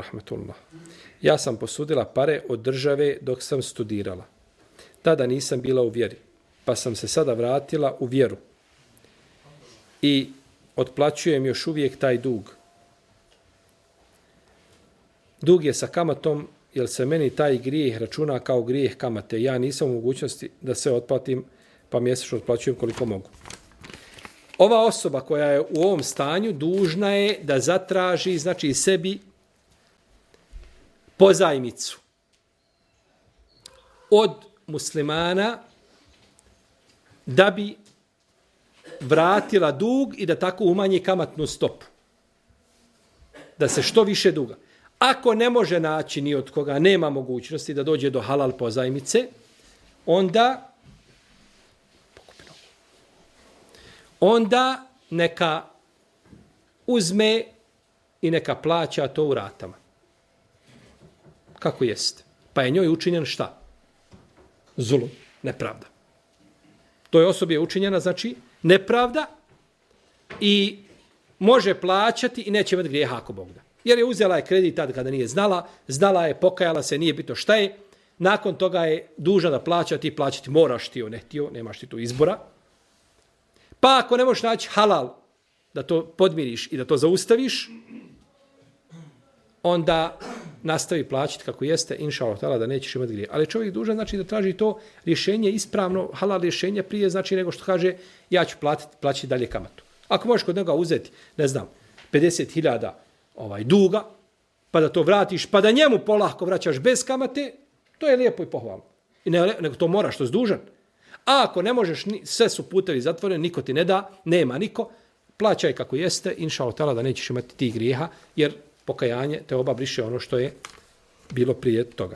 rahmetullah. Ja sam posudila pare od države dok sam studirala. Tada nisam bila u vjeri, pa sam se sada vratila u vjeru. I otplaćujem još uvijek taj dug. Dug je sa kamatom, jer se meni taj grijeh računa kao grijeh kamate. Ja nisam u mogućnosti da se otplatim, pa mjesečno otplaćujem koliko mogu. Ova osoba koja je u ovom stanju dužna je da zatraži, znači sebi, pozajmicu od muslimana da bi vratila dug i da tako umanji kamatnu stopu. Da se što više duga. Ako ne može naći ni od koga, nema mogućnosti da dođe do halal pozajmice, onda neka uzme i neka plaća to u ratama. Kako jeste? Pa je njoj učinjen šta? Zulum, nepravda. Toj osobi je učinjena, znači, nepravda i može plaćati i neće imati grijeha ako Bog da. Jer je uzela je kredit tada kada nije znala je, pokajala se, nije bitno šta je, nakon toga je dužna da plaća, ti plaćati moraš, ti ne htio, nemaš ti tu izbora. Pa ako ne možeš naći halal da to podmiriš i da to zaustaviš, onda nastavi plaćati kako jeste, inša Allah, da nećeš imati grije. Ali čovjek dužan, znači, da traži to rješenje ispravno, halal rješenje prije, znači, nego što kaže, ja ću plaćati dalje kamatu. Ako možeš kod njega uzeti, ne znam, 50.000 duga, pa da to vratiš, pa da njemu polako vraćaš bez kamate, to je lijepo i pohvalno. I nego to moraš, to je dužan. A ako ne možeš, sve su putevi zatvoreni, niko ti ne da, nema niko, plaćaj kako jeste, inša Allah, da nećeš imati tih grijeha, jer pokajanje te oba briše ono što je bilo prije toga.